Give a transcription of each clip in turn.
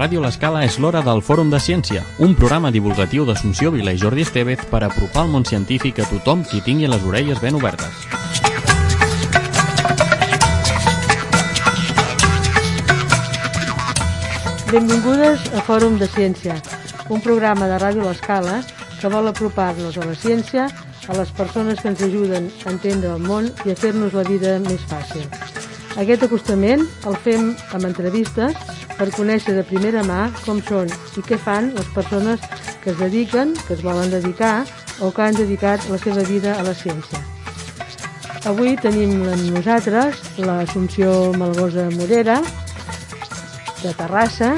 Ràdio L'Escala és l'hora del Fòrum de Ciència, un programa divulgatiu d'Assumpció Vila i Jordi Estevez per apropar el món científic a tothom qui tingui les orelles ben obertes. Benvingudes a Fòrum de Ciència, un programa de Ràdio L'Escala que vol apropar-nos a la ciència, a les persones que ens ajuden a entendre el món i a fer-nos la vida més fàcil. Aquest acostament el fem amb entrevistes per conèixer de primera mà com són i què fan les persones que es dediquen, que es volen dedicar o que han dedicat la seva vida a la ciència. Avui tenim amb nosaltres l'Assumpció Malgosa Morera, de Terrassa,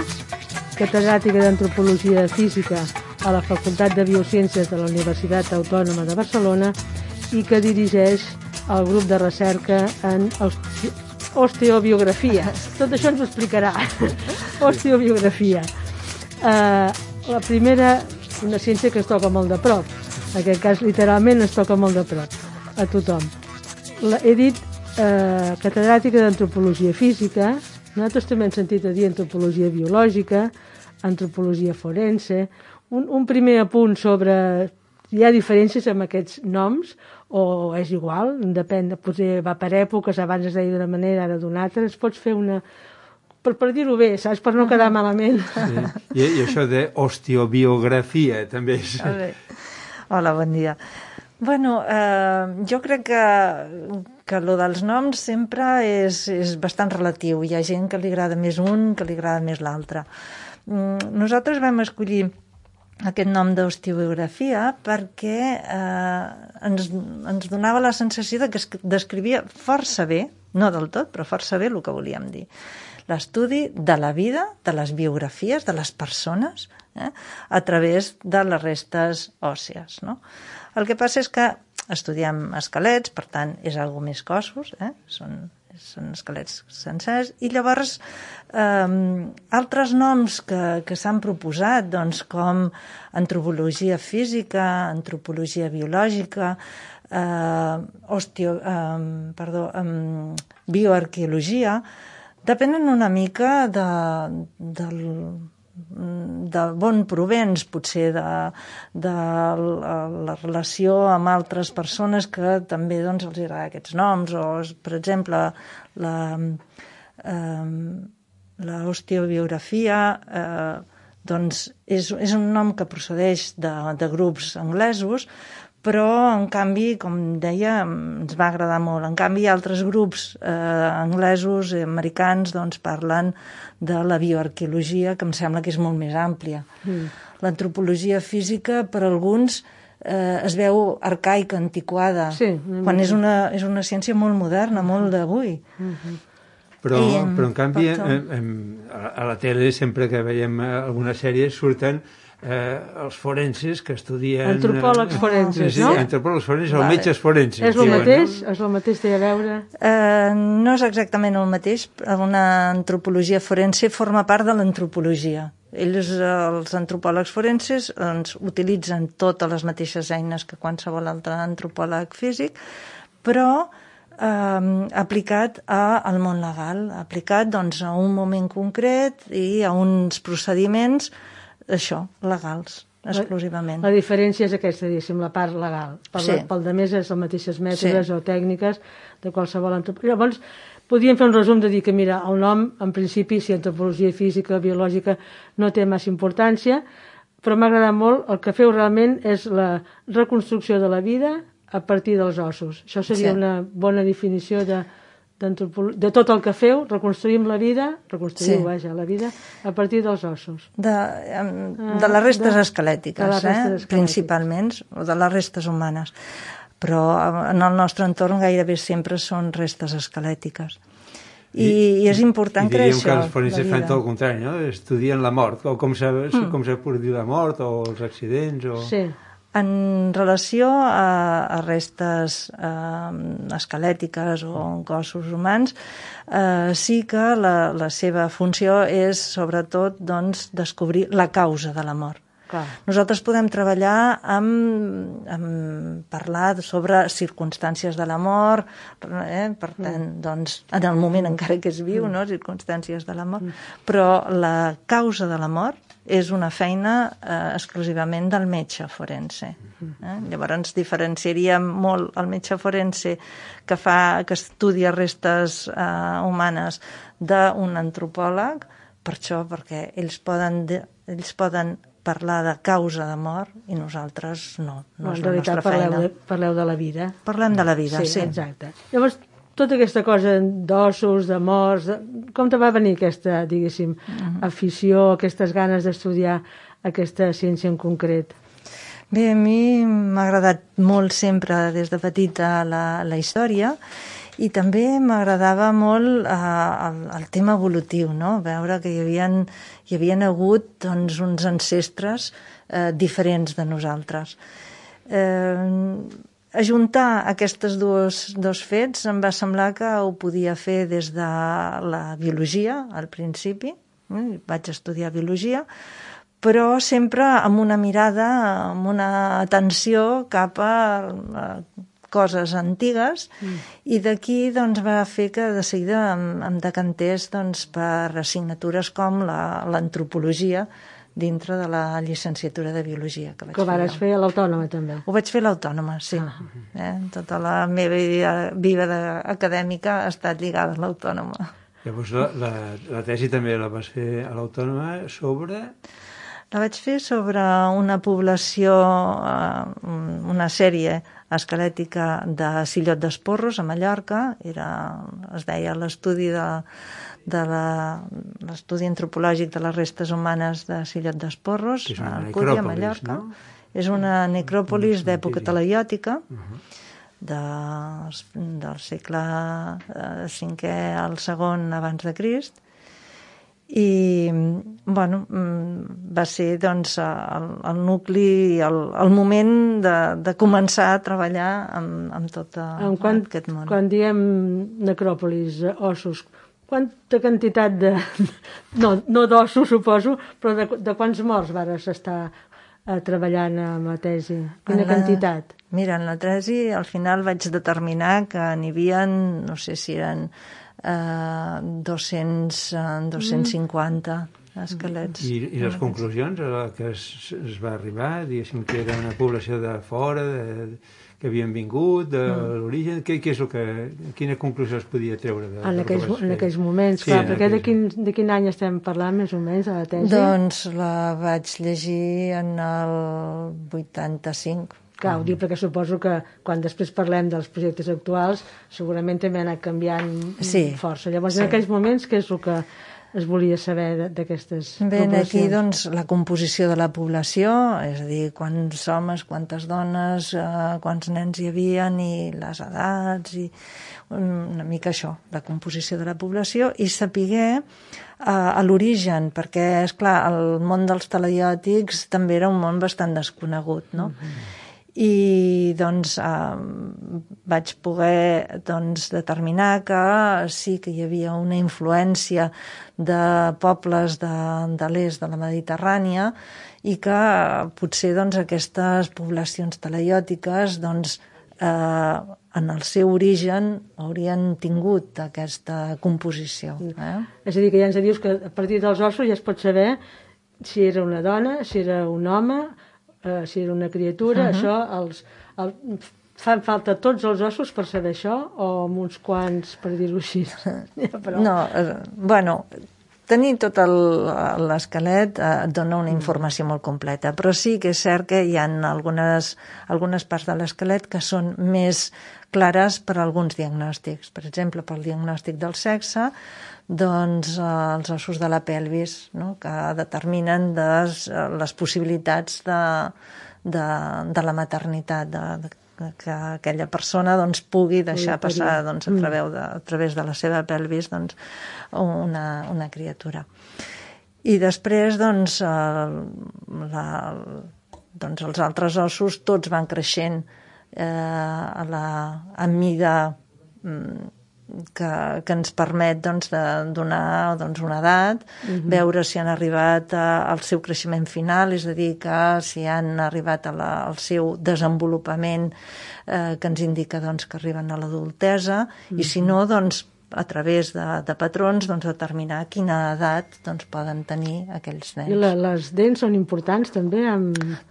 catedràtica d'Antropologia Física a la Facultat de Biociències de la Universitat Autònoma de Barcelona i que dirigeix el grup de recerca en osteobiografia. Tot això ens ho explicarà. Osteobiografia. La primera, una ciència que es toca molt de prop. En aquest cas, literalment, es toca molt de prop a tothom. He dit catedràtica d'Antropologia Física. Nosaltres també hem sentit a dir antropologia biològica, antropologia forense. Un primer apunt sobre... Hi ha diferències amb aquests noms o és igual? Depèn, potser va per èpoques, abans es deia d'una manera, ara d'una altra. Es pots fer una... Per dir-ho bé, saps? Per no quedar malament. Sí. I això d'osteobiografia també és... Hola, bon dia. Bueno, jo crec que lo dels noms sempre és bastant relatiu. Hi ha gent que li agrada més un, que li agrada més l'altre. Nosaltres vam escollir aquest nom d'osteobiografia perquè ens donava la sensació de que es descrivia força bé, no del tot, però força bé el que volíem dir. L'estudi de la vida, de les biografies, de les persones, a través de les restes òssies, no? El que passa és que estudiem esquelets, per tant, és algo més cossos, són esquelets sencers, i llavors altres noms que s'han proposat, doncs, com antropologia física, antropologia biològica, bioarqueologia, depenen una mica d'on provens, potser de la relació amb altres persones que també doncs, els agrada aquests noms, o, per exemple, l'osteobiografia doncs és un nom que procedeix de grups anglesos, però, en canvi, com deia, ens va agradar molt. En canvi, altres grups anglesos i americans doncs, parlen de la bioarqueologia, que em sembla que és molt més àmplia. L'antropologia física, per alguns, es veu arcaica, antiquada, quan és una ciència molt moderna, molt d'avui. Però, en canvi, a la tele, sempre que veiem alguna sèrie, surten els forenses que estudien... Antropòlegs forenses, no? Sí, antropòlegs forenses o metges forenses. És el mateix? És el mateix, té a veure? No és exactament el mateix. Una antropologia forense forma part de l'antropologia. Ells, els antropòlegs forenses, utilitzen totes les mateixes eines que qualsevol altre antropòleg físic, però aplicat al món legal, aplicat doncs, a un moment concret i a uns procediments legals, exclusivament. La diferència és aquesta, diguéssim, la part legal. Pel de més és les mateixes mètodes o tècniques de qualsevol antropologia. Llavors, podríem fer un resum de dir que, mira, el nom, en principi, si antropologia física, biològica, no té massa importància, però m'ha agradat molt, el que feu realment és la reconstrucció de la vida a partir dels ossos. Això seria una bona definició de tot el que feu, reconstruïm la vida, la vida a partir dels ossos. De les restes esquelètiques, principalment, o de les restes humanes. Però en el nostre entorn gairebé sempre són restes esquelètiques. I és important créixer. I diríem que els forenses fan tot el contrari, no? Estudien la mort, o com s'ha produït la mort, o els accidents, o... Sí. En relació a restes esquelètiques o cossos humans, sí que la seva funció és, sobretot, doncs, descobrir la causa de la mort. Nosaltres podem treballar amb parlar sobre circumstàncies de la mort, per tant, doncs, en el moment encara que es viu, no? Circumstàncies de la mort, però la causa de la mort és una feina exclusivament del metge forense. Llavors diferenciaríem molt el metge forense que estudia restes humanes d'un antropòleg, per això, perquè ells poden parlar de causa de mort i nosaltres no és la nostra feina. Parleu de la vida. Parlem de la vida, sí. Exacte. Llavors, tota aquesta cosa d'ossos, de morts, com te va venir aquesta, diguéssim, afició, aquestes ganes d'estudiar aquesta ciència en concret? Bé, a mi m'ha agradat molt sempre des de petita la història i també m'agradava molt el tema evolutiu, no? Veure que hi havien hagut doncs, uns ancestres diferents de nosaltres. Ajuntar aquests dos fets em va semblar que ho podia fer des de la biologia, al principi. Vaig estudiar biologia, però sempre amb una mirada, amb una atenció cap a coses antigues, i d'aquí doncs, va fer que de seguida em decantés doncs, per assignatures com l'antropologia, dintre de la llicenciatura de Biologia que vaig fer. Que vares fer a l'Autònoma, també. Ho vaig fer a l'Autònoma, sí. Tota la meva vida acadèmica ha estat lligada a l'Autònoma. Llavors la tesi també la vas fer a l'Autònoma sobre... La vaig fer sobre una població, una sèrie esquelètica de Sillot d'Esporros, a Mallorca. Es deia l'estudi l'estudi antropològic de les restes humanes de Sillot d'Esporros, a Alcúdia, a Mallorca. No? És una necròpolis d'època talaiòtica, del segle V al II abans de Crist, i bueno, va ser doncs, el nucli, el moment de començar a treballar amb tot aquest món. Quan diem necròpolis, ossos, quanta quantitat de... No d'ossos, suposo, però de quants morts vares estar treballant amb la tesi? Quina quantitat? Mira, en la tesi al final vaig determinar que n'hi havia, no sé si eren 250 esquelets. I les conclusions a què es va arribar? Diguéssim que era una població de fora, que havien vingut, de l'origen... Quina conclusió es podia treure? En aquells moments, clar, perquè de quin any estem parlant, més o menys, a la tesi? Doncs la vaig llegir en el 85. Clar, ho dic perquè suposo que quan després parlem dels projectes actuals segurament també ha anat canviant força. Llavors, en aquells moments, què és el que es volia saber d'aquestes poblacions? Bé, aquí, doncs, la composició de la població, és a dir, quants homes, quantes dones, quants nens hi havia, i les edats, i una mica això, la composició de la població, i sapiguer a l'origen, perquè, esclar, el món dels talaiòtics també era un món bastant desconegut, no? I doncs vaig poder determinar que sí que hi havia una influència de pobles de l'est de la Mediterrània i que potser aquestes poblacions talaiòtiques en el seu origen haurien tingut aquesta composició. És a dir, que ja ens dius que a partir dels ossos ja es pot saber si era una dona, si era un home, si era una criatura, això, fan falta tots els ossos per saber això, o amb uns quants, per dir-ho així? No, bueno, tenir tot l'esquelet et dona una informació molt completa, però sí que és cert que hi ha algunes parts de l'esquelet que són més clares per a alguns diagnòstics. Per exemple, pel diagnòstic del sexe, doncs els ossos de la pelvis, no? Que determinen les possibilitats de la maternitat, que aquella persona pugui deixar passar a través de la seva pelvis una criatura. I després els altres ossos tots van creixent a mida que ens permet doncs, de donar una edat, veure si han arribat al seu creixement final, és a dir, que si han arribat al seu desenvolupament que ens indica doncs, que arriben a l'adultesa, i si no, doncs, a través de patrons, doncs, determinar quina edat doncs, poden tenir aquells nens. I les dents són importants també?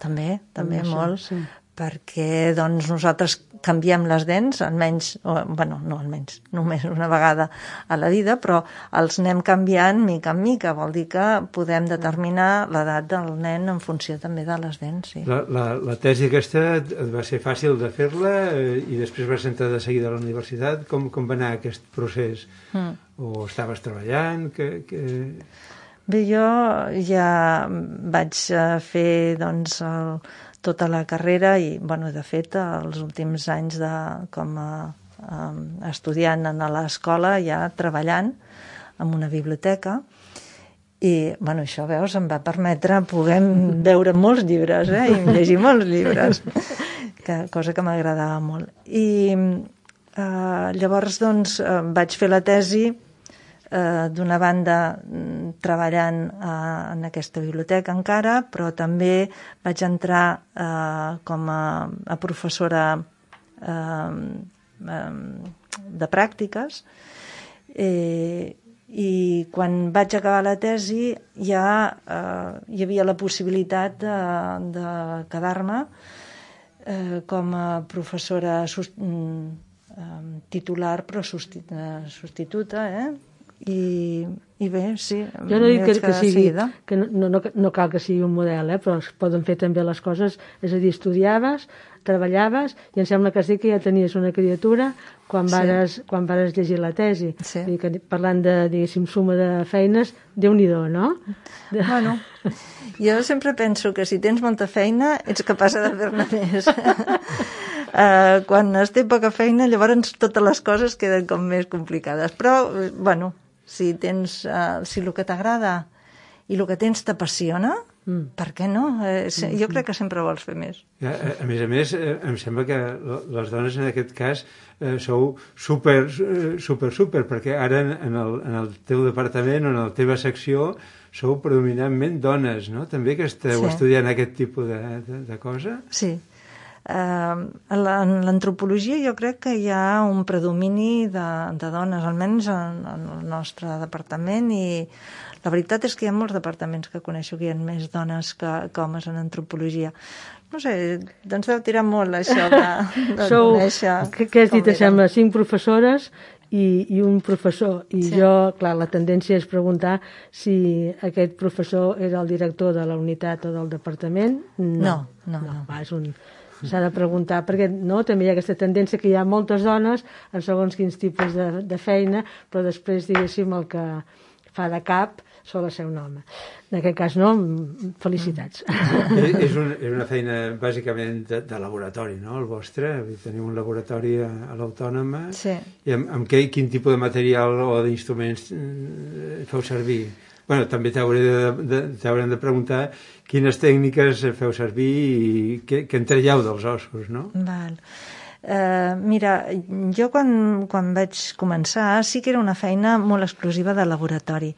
També això, molt, sí. Perquè doncs, nosaltres canviem les dents, almenys, no almenys, només una vegada a la vida, però els anem canviant mica en mica, vol dir que podem determinar l'edat del nen en funció també de les dents. Sí. La tesi aquesta et va ser fàcil de fer-la i després vas entrar de seguida a la universitat. Com va anar aquest procés? O estaves treballant? Bé, jo ja vaig fer doncs, tota la carrera i, de fet, els últims anys com a estudiant a l'escola, ja treballant en una biblioteca, i, això, veus, em va permetre poder veure molts llibres, i llegir molts llibres, cosa que m'agradava molt. I llavors, doncs, vaig fer la tesi d'una banda treballant en aquesta biblioteca encara, però també vaig entrar com a professora de pràctiques, i quan vaig acabar la tesi ja hi havia la possibilitat de quedar-me com a professora titular però substituta, i bé, sí. Jo no dic que no cal que sigui un model, però es poden fer també les coses, és a dir, estudiaves, treballaves, i em sembla que sí que ja tenies una criatura quan vares llegir la tesi. Sí. Parlant de, diguéssim, suma de feines, Déu-n'hi-do, no? Bueno, jo sempre penso que si tens molta feina ets capaç de fer-ne més. Quan es té poca feina, llavors totes les coses queden com més complicades. Però, si el que t'agrada i el que tens t'apassiona, per què no? Jo crec que sempre vols fer més. A més, em sembla que les dones en aquest cas sou super, perquè ara en el teu departament o en la teva secció sou predominantment dones, no? També que esteu estudiant aquest tipus de cosa? Sí. En l'antropologia jo crec que hi ha un predomini de dones, almenys en el nostre departament, i la veritat és que hi ha molts departaments que coneixo que hi ha més dones que homes en antropologia. No sé, doncs deu tirar molt això de conèixer. Què has dit? Sembla 5 professores i un professor. I jo, clar, la tendència és preguntar si aquest professor era el director de la unitat o del departament. No. S'ha de preguntar, perquè també hi ha aquesta tendència que hi ha moltes dones en segons quins tipus de feina, però després, diguéssim, el que fa de cap sol ser un home. En aquest cas, no? Felicitats. És una feina bàsicament de laboratori, no?, el vostre. Teniu un laboratori a l'Autònoma. Sí. I amb quin tipus de material o d'instruments feu servir? També t'haurem de preguntar quines tècniques feu servir i què en traieu dels ossos, no? Val. Mira, jo quan vaig començar sí que era una feina molt exclusiva de laboratori,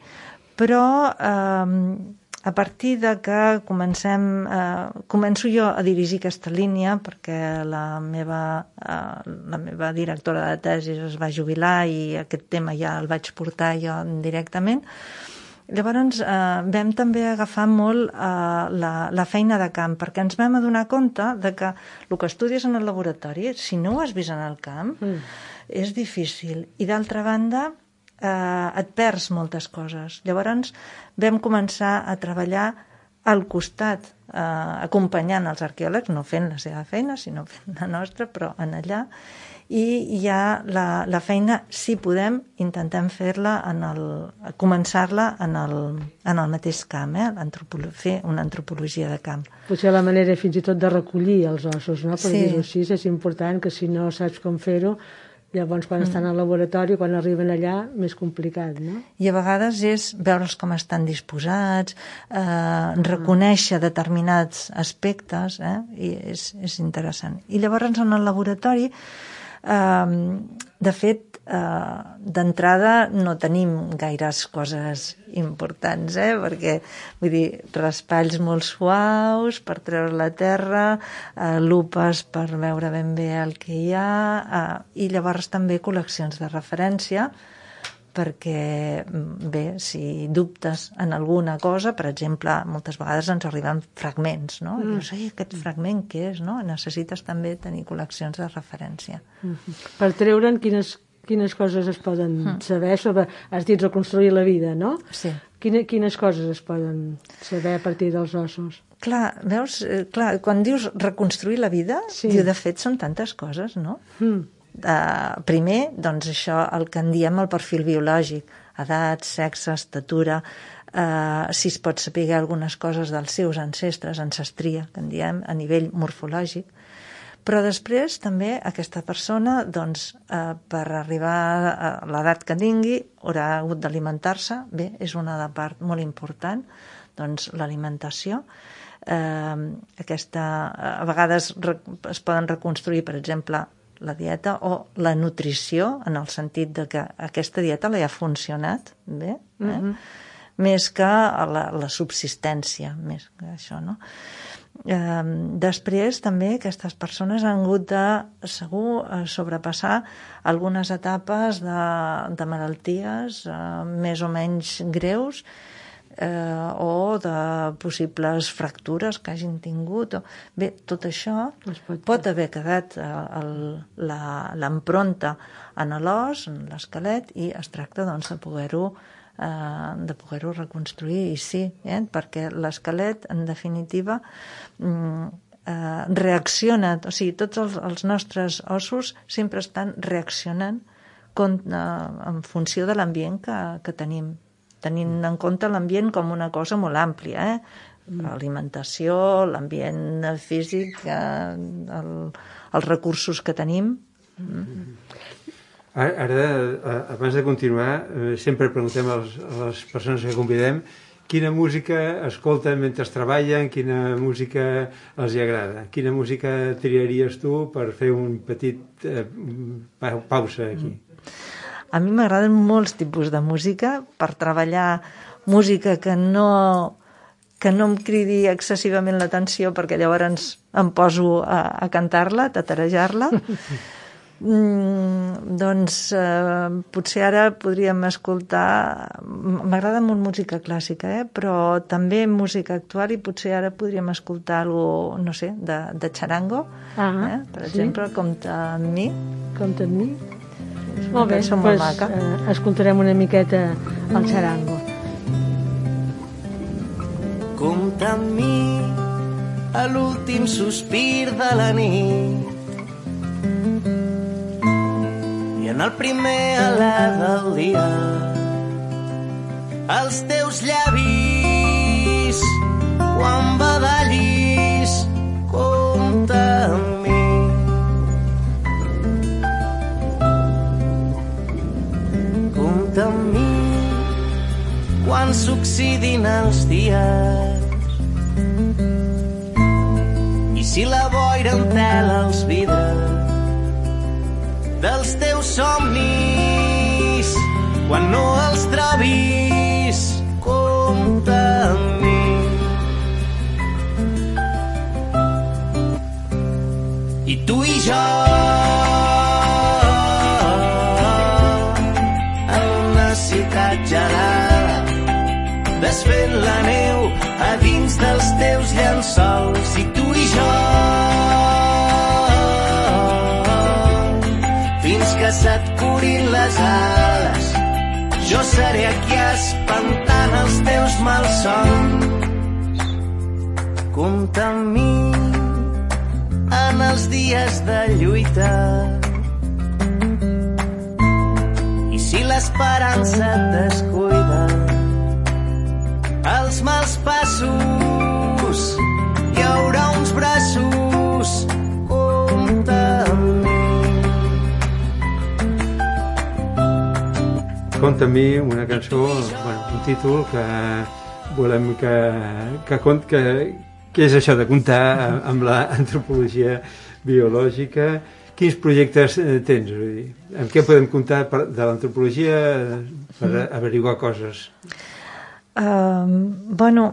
però a partir de que començo jo a dirigir aquesta línia, perquè la meva directora de tesis es va jubilar i aquest tema ja el vaig portar jo directament. Llavors vam també agafar molt la feina de camp, perquè ens vam adonar compte de que el que estudies en el laboratori, si no ho has vist en el camp, és difícil. I d'altra banda, et perds moltes coses. Llavors vam començar a treballar al costat, acompanyant els arqueòlegs, no fent la seva feina, sinó fent la nostra, però en allà. I ja la feina, si podem, intentem fer-la començar-la en el mateix camp, fer una antropologia de camp. Potser la manera fins i tot de recollir els ossos, no? Per dir-ho així, és important que si no saps com fer-ho, llavors quan estan al laboratori, quan arriben allà, més complicat, no? I a vegades és veure'ls com estan disposats, reconèixer determinats aspectes, i és interessant. I llavors en el laboratori De fet, d'entrada no tenim gaires coses importants, perquè vull dir, raspalls molt suaus per treure la terra, lupes per veure ben bé el que hi ha, i llavors també col·leccions de referència, perquè, bé, si dubtes en alguna cosa, per exemple, moltes vegades ens arriben fragments, no? I dius, aquest fragment què és, no? Necessites també tenir col·leccions de referència. Per treure'n quines coses es poden saber sobre... Has dit reconstruir la vida, no? Sí. Quines coses es poden saber a partir dels ossos? Clar, veus? Clar, quan dius reconstruir la vida, diu, de fet, són tantes coses, no? Primer, doncs això, el que en diem el perfil biològic, edat, sexe, estatura, si es pot saber algunes coses dels seus ancestres, ancestria, que en diem, a nivell morfològic, però després també aquesta persona, doncs, per arribar a l'edat que tingui, haurà hagut d'alimentar-se, bé, és una part molt important, doncs l'alimentació, a vegades es poden reconstruir, per exemple, la dieta o la nutrició, en el sentit de que aquesta dieta li ha funcionat bé, més que la subsistència, més que això, no? Després també aquestes persones han hagut de segur sobrepassar algunes etapes de malalties més o menys greus, o de possibles fractures que hagin tingut. Bé, tot això pot haver quedat l'empronta en l'os, en l'esquelet, i es tracta doncs, de poder-ho reconstruir, i sí, perquè l'esquelet, en definitiva, reacciona, o sigui, tots els nostres ossos sempre estan reaccionant en funció de l'ambient que tenim, tenint en compte l'ambient com una cosa molt àmplia, l'alimentació, l'ambient físic, els recursos que tenim. Ara, abans de continuar, sempre preguntem a les persones que convidem quina música escolten mentre treballen, quina música els agrada. Quina música triaries tu per fer un petit pausa aquí? A mi m'agraden molts tipus de música per treballar, música que no em cridi excessivament l'atenció, perquè llavors em poso a cantar-la, a tatarejar-la. Doncs potser ara podríem escoltar, m'agrada molt música clàssica, però també música actual, i potser ara podríem escoltar alguna, no sé, de charango, per exemple, Compta amb mi. Compta amb mi. Molt bé, doncs escoltarem una miqueta el charango. Compta amb mi a l'últim sospir de la nit i en el primer alè del dia els teus llavis quan badallis. Compta amb mi. Compta amb mi quan s'oxidin els dies i si la boira entela els vidres dels teus somnis quan no els trobis. Compta amb mi. I tu i jo gelada, desfent la neu a dins dels teus llençols. I tu i jo, fins que se't curin les ales, jo seré aquí espantant els teus malsons. Compta amb mi en els dies de lluita, si l'esperança et descuida, els mals passos, hi haurà uns braços. Compta amb mi. Compta amb mi, una cançó, un títol que volem que és això de comptar amb l'antropologia biològica, quins projectes tens? Vull dir, amb què podem comptar de l'antropologia per averiguar coses? Bueno,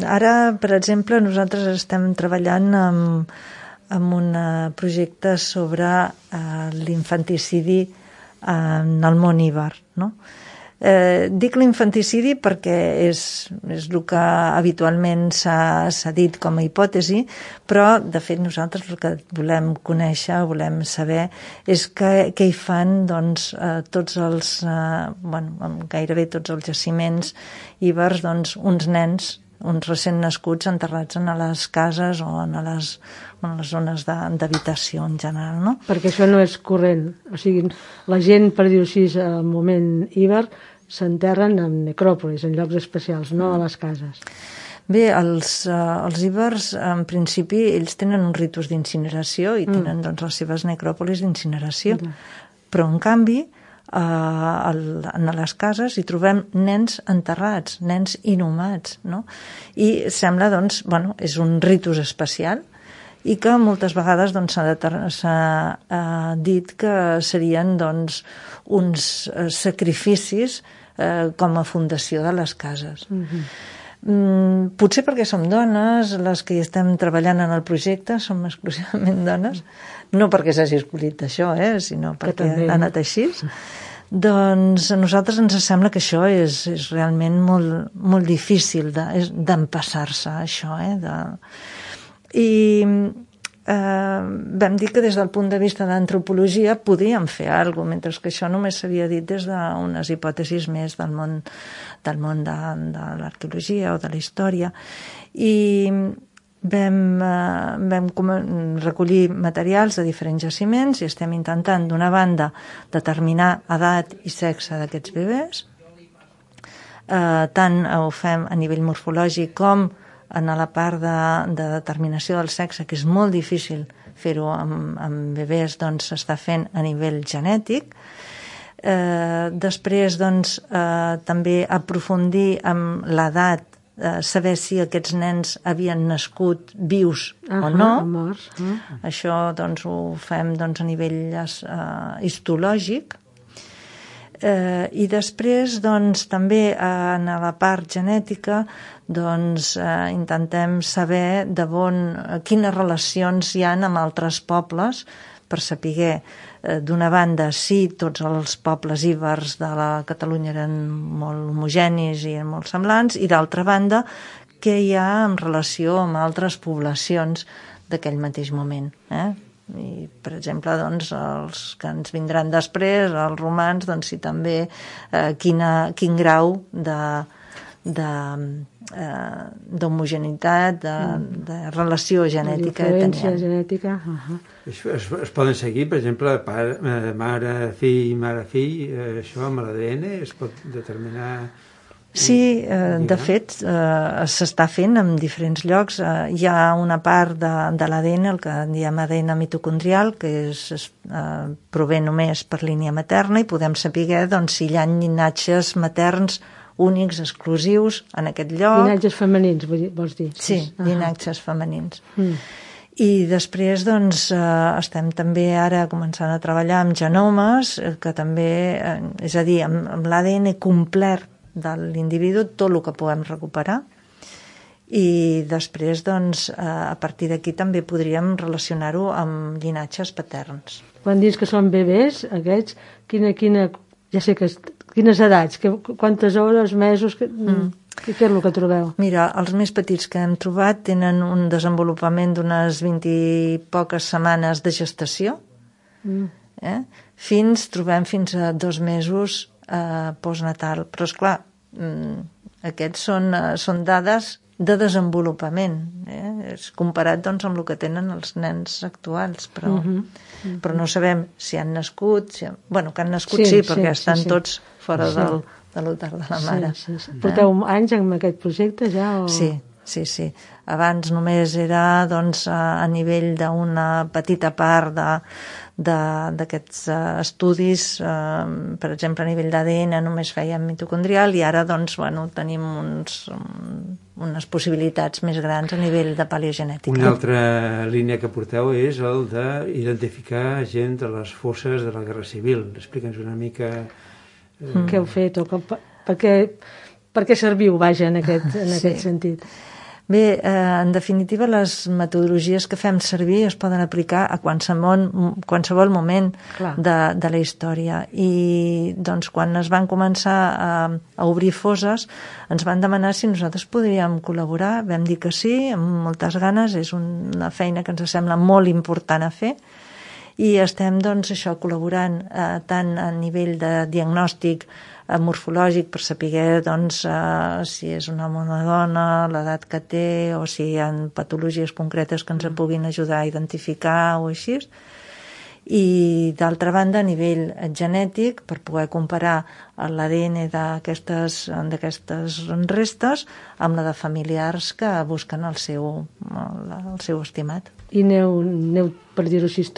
ara, per exemple, nosaltres estem treballant amb un projecte sobre l'infanticidi en el món iber, no? Dic l'infanticidi perquè és el que habitualment s'ha dit com a hipòtesi, però de fet nosaltres el que volem conèixer, volem saber és què hi fan doncs, tots els gairebé tots els jaciments ibers, doncs, uns nens, uns recent nascuts enterrats en les cases o en les zones d'habitació en general, no? Perquè això no és corrent, o sigui, la gent, per dir-ho així, al moment iber s'enterren en necròpolis, en llocs especials, no a les cases. Bé, els ibers, en principi, ells tenen uns ritus d'incineració i tenen doncs, les seves necròpolis d'incineració. Però, en canvi, en les cases hi trobem nens enterrats, nens inhumats, no? I sembla, doncs, és un ritus especial i que moltes vegades doncs, s'ha dit que serien doncs, uns sacrificis com a fundació de les cases. Potser perquè som dones, les que hi estem treballant en el projecte, som exclusivament dones, no perquè s'hagi escollit això, sinó perquè ha anat així. Doncs a nosaltres ens sembla que això és realment molt, molt difícil d'empassar-se, això. I vam dir que des del punt de vista d'antropologia podíem fer alguna cosa, mentre que això només s'havia dit des d'unes hipòtesis més del món de l'arqueologia o de la història. I vam recollir materials de diferents jaciments i estem intentant, d'una banda, determinar edat i sexe d'aquests bebès. Tant ho fem a nivell morfològic com en la part de determinació del sexe, que és molt difícil fer-ho amb bebès, doncs s'està fent a nivell genètic. Després, doncs, també aprofundir amb l'edat, saber si aquests nens havien nascut vius o no. Morts. Això doncs, ho fem doncs, a nivell histològic. I després doncs, també en la part genètica doncs, intentem saber quines relacions hi ha amb altres pobles per saber d'una banda si tots els pobles ibers de la Catalunya eren molt homogenis i molt semblants, i d'altra banda què hi ha en relació amb altres poblacions d'aquell mateix moment. I, per exemple, doncs, els que ens vindran després, els romans, doncs, si també quin grau d'homogeneïtat, de relació genètica d'influència genètica. Es poden seguir, per exemple, mare-fill, això amb l'ADN es pot determinar... Sí, de fet, s'està fent en diferents llocs. Hi ha una part de l'ADN, el que diem ADN mitocondrial, que prové només per línia materna, i podem saber doncs, si hi ha llinatges materns únics, exclusius, en aquest lloc. Llinatges femenins, vols dir? Sí, llinatges femenins. I després doncs, estem també ara començant a treballar amb genomes, que també, és a dir, amb l'ADN complet de l'individu, tot el que puguem recuperar, i després doncs, a partir d'aquí també podríem relacionar-ho amb llinatges paterns. Quan dius que són bebès, aquests, ja sé que quines edats, quantes hores, mesos, què és el que trobeu? Mira, els més petits que hem trobat tenen un desenvolupament d'unes 20 i poques setmanes de gestació, trobem fins a 2 mesos postnatal, però esclar, aquests són dades de desenvolupament, és comparat doncs, amb el que tenen els nens actuals, però no sabem si han nascut, que han nascut sí, perquè estan tots fora de l'úter de la mare. Porteu anys amb aquest projecte ja? Sí, Sí, sí. Abans només era doncs, a nivell d'una petita part d'aquests estudis, per exemple, a nivell d'ADN només fèiem mitocondrial i ara doncs, bueno, tenim unes possibilitats més grans a nivell de paleogenètica. Una altra línia que porteu és el d'identificar gent de les fosses de la Guerra Civil. Explica'ns una mica... Què heu fet o per què serviu, vaja, en aquest sentit? Bé, en definitiva, les metodologies que fem servir es poden aplicar a qualsevol moment de la història. I doncs, quan es van començar a obrir fosses, ens van demanar si nosaltres podríem col·laborar. Vam dir que sí, amb moltes ganes. És una feina que ens sembla molt important a fer. I estem, doncs, això, col·laborant tant a nivell de diagnòstic morfològic per saber doncs, si és un home o una dona, l'edat que té o si hi ha patologies concretes que ens puguin ajudar a identificar o així. I d'altra banda, a nivell genètic, per poder comparar l'ADN d'aquestes restes amb la de familiars que busquen el seu estimat. I aneu, per dir-ho així,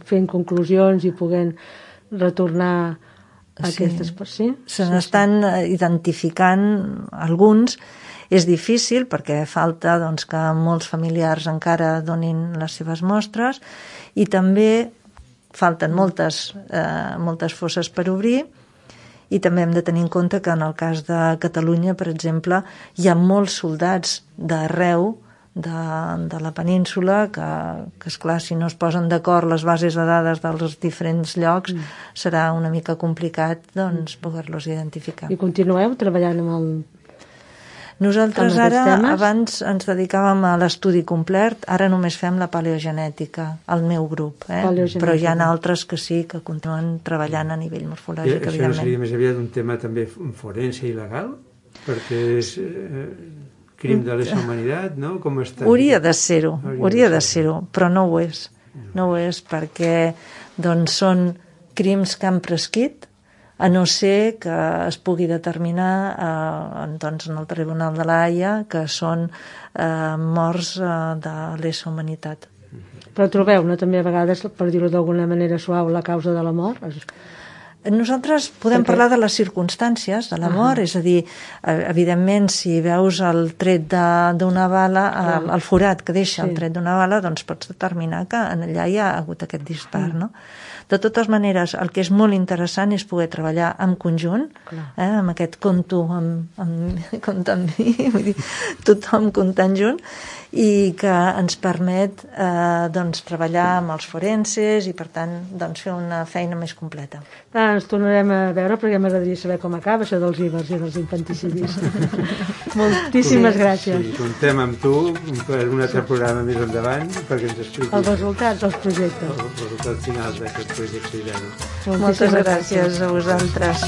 fent conclusions i podent retornar aquestes persones. Se n'estan identificant alguns. És difícil perquè falta doncs, que molts familiars encara donin les seves mostres i també falten moltes fosses per obrir i també hem de tenir en compte que en el cas de Catalunya, per exemple, hi ha molts soldats d'arreu de la península que esclar, si no es posen d'acord les bases de dades dels diferents llocs serà una mica complicat doncs, poder-los identificar. I continueu treballant amb nosaltres ara, abans ens dedicàvem a l'estudi complet, ara només fem la paleogenètica, el meu grup, però hi ha altres que sí que continuen treballant a nivell morfològic, evidentment. Això no seria més aviat un tema també forense i legal? Perquè és crim de lesa humanitat, no? Com està? Hauria de ser-ho, però no ho és. No ho és perquè doncs, són crims que han prescrit, a no ser que es pugui determinar doncs, en el Tribunal de la Haia que són morts de lesa humanitat. Però trobeu, no, també a vegades, per dir-ho d'alguna manera suau, la causa de la mort? Nosaltres podem parlar de les circumstàncies de la mort, és a dir, evidentment, si veus el tret d'una bala, el forat que deixa el tret d'una bala, doncs pots determinar que allà hi ha hagut aquest dispar, no? De totes maneres, el que és molt interessant és poder treballar en conjunt, amb aquest compte amb mi, vull dir, tothom comptant junt, i que ens permet doncs, treballar amb els forenses i, per tant, doncs, fer una feina més completa. Ens tornarem a veure perquè m'agradaria saber com acaba això dels ibers i dels infanticidis. Moltíssimes gràcies. Sí, contem amb tu per un altre programa més endavant perquè ens expliquis els resultats dels projectes. Els resultats finals d'aquest projecte. Moltes gràcies a vosaltres.